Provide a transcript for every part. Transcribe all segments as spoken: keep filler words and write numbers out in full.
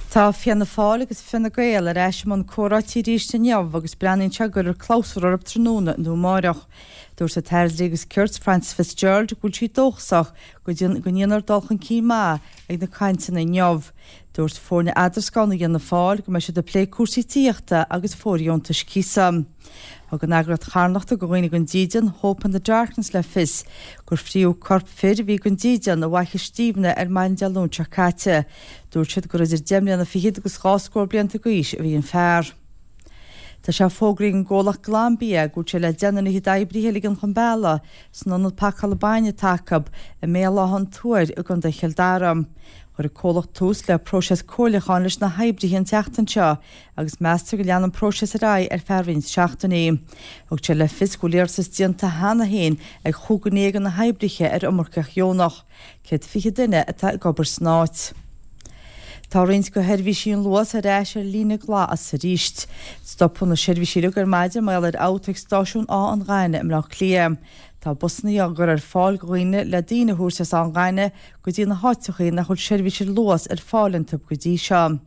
Tá Fianna Fáil agus Fine Gael ar ais i mbun comhráití arís inniu agus breathnaíonn sé go gcuirfear clabhsúr orthu tráthnóna nó amárach. Dúirt an tAire Dlí agus Cirt Frances Fitzgerald go bhfuil sí dóchasach go ndéanfar dul chun cinn maith ag na cainteanna inniu. Dúirt foirne eadroscána Fhianna Fáil go mbeidh siad ag plé cúrsaí tithíochta agus fóirdheontais cíosa. Thug an eagraíocht charthanachta do dhaoine gan dídean Hope in the Darkness le fios gur fríodh corp fir a bhí gan dídean i bhFaiche Stiabhna ar maidin Dé Luain seo caite. Dúirt siad gur idir deich mbliana fichead agus dhá scór blianta d'aois a bhí an fear. Tá sé fógraithe ag an gcomhlacht Glanbia go bhfuil sé le deich nduine d'oibrithe a ligean chun bealaigh san ionad pacála bainne atá acu i mBéal Átha an Tuair i gContae Chill Dara. Chuir an comhlacht tús le próiseas comhairliúcháin leis na hoibrithe an tseachtain seo agus meastar go leanfaidh an próiseas ar aghaidh ar feadh roinnt seachtainí. Thug sé le fios go bhfuil iarratas déanta cheana féin ag chúig dhuine de na hoibrithe ar iomarcaíocht dheonach. Céad fiche duine atá ag obair san áit. Tá roinnt de sheirbhísí an Luas ar ais ar líne glas arís. Stopadh na seirbhísí uilig ar maidin mar gheall ar fhabht ag stáisiún Áth an Ghainimh i mBleá Cliath. Tá busanna á gcur ar fáil do dhaoine le daoine a thabhairt as Áth an Ghainimh go dtí na háiteacha nach bhfuil seirbhís ar Luas ar fáil iontu go dtí seo.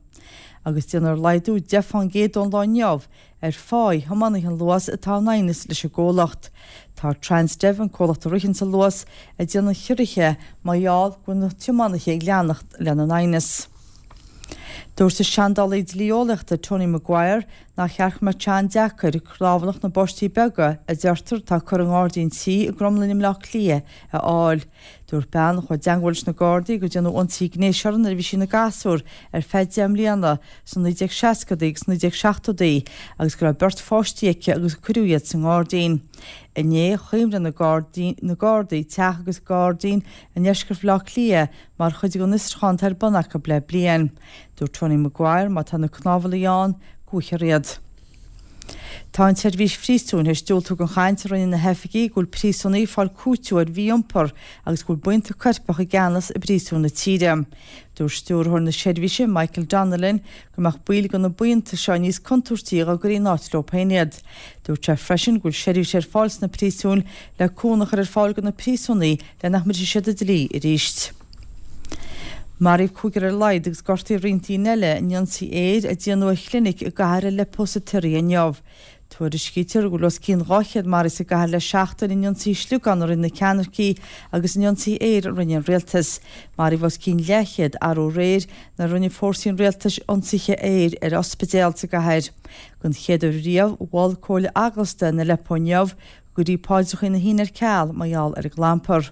Agus déanfar laghdú deich faoin gcéad ón lá inniu ar phá thiománaithe an Luas atá in aighneas leis an gcomhlacht. Tá Transdev an comhlacht a ritheann an Luas ag déanamh ciorruithe mar gheall go bhfuil na tiománaithe ag leanacht lena n-aighneas. Dúirt an seandálaí dlí-eolaíochta Tony Maguire nach cheart go mbeadh sé an-deacair cnámharlach na bpáistí beaga a deirtear atá curtha i ngairdín tí i gCromghlinn i mBleá Cliath a fháil. Dúirt bean a chuaigh i dteagmháil leis na Gardaí gur déanadh ionsaí gnéis uirthi nuair a bhí sí ina gasúr ar feadh deich mbliana sna naoi déag seascadaí agus naoi déag seachtóidí agus go raibh beirt pháistí aici agus cuireadh iad sa ngairdín. Inné chuimrigh na na Gardaí teach agus gairdín i ndeisceart Bhaile Átha Cliath mar chuid den fhiosrúchán atá ar bun acu le bliain. Dúirt Tony Maguire má tá na cnámharlaigh ann go bhfaighfear iad. Tá an tseirbhís phríosúin théis diúltú don chaint a rinne na hoifigigh go bhfuil príosúnaigh ag fáil cúiteamh ar mhí-iompar agus go bhfuil buíonta coirpeach i gceannas i bpríosúin na tíre. Dúirt stiúrthóir na seirbhíse Michael Donnellan go mbeadh baill de na buíonta seo níos contúirtí dá gcuirfí in áit leo féin iad. Dúirt sé freisin go bhfuil seirbhís ar fáil sna príosúin le cúnamh a chur ar fáil do na príosúnaigh le nach mbrisfidh siad an dlí arís. Maraíodh cúigear ar a laghad agus gortaíodh roinnt daoine eile in ionsaí aeir a déanadh ar chlinic i gcathair Aleppo sa tSiria inniu. Tuairiscítear go bhfuil os cionn dhá chéad maraithe sa gcathair le seachtain in ionsaí sliogán a rinne na ceannaircigh agus in ionsaí aeir a rinne an rialtas. Maraíodh os cionn leathchéad arú aréir nuair a rinne fórsaí an rialtais ionsaithe aeir ar ospidéal sa gcathair. Don chéad uair riamh mhol Comhairle Eaglasta in Aleppo inniu go gcuirfí paidreacha na hAoine ar ceal mar gheall ar an gclampar.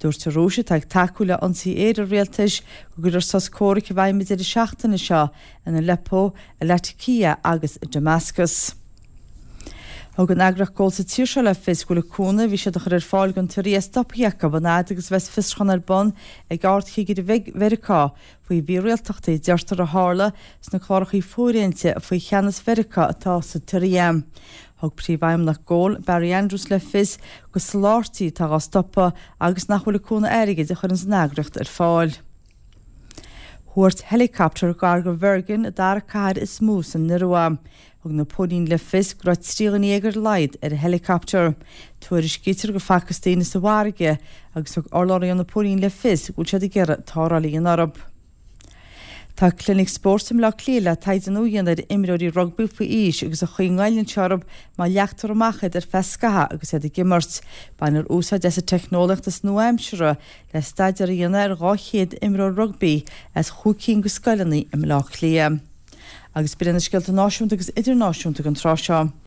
Dúirt an Rúis atá ag tacú le ionsaí aeir an rialtais go gcuirfear sos comhraic i bhfeidhm an deireadh seachtaine seo in Aleppo, i Latakia agus i Damascus. Thug an eagraíocht Goal sa tír seo le fios go bhfuil an cúnamh a bhí siad a chur ar fáil don tSiria stoptha acu an fhad agus a bheas fiosrúchán ar bun ag Ardchigire Mheiriceá faoi mhírialtachtaí a deirtear a tharla sna cláracha fóirithinte faoi cheannas Mheiriceá atá sa tSiria. Thug príomhfheidhmeannach Goal Barry Andrews le fios gur soláthairtí atá á stopadh agus nach bhfuil an cúnamh airgid a chuireann an eagraíocht ar fáil. Thuairt helicopter gar do Bhergen, an dara cathair is mó san Iorua. Thug na póilíní le fios go raibh trí dhuine déag ar a laghad ar an helicopter. Tuairiscítear go bhfacthas daoine sa bhfarraige agus thug urlabhraí ó na póilíní le fios go bhfuil siad ag iarraidh tarrtháil a dhéanamh orthu. Tá clinic spóirt i mBleá Cliath le taighde nua a dhéanamh ar imreoirí rugbaí faoi aois agus an chaoi a ngoilleann sé orthu má leagtar amach iad ar feadh scaitheamh agus iad ag imirt. Bainfear úsáid as an teicneolaíocht is nua-aimseartha le staidéar a dhéanamh ar dhá chéad imreoir rugbaí as chúig cinn de scoileanna i mBleá Cliath. Agus b'in na scéalta náisiúnta agus idirnáisiúnta don tráth seo.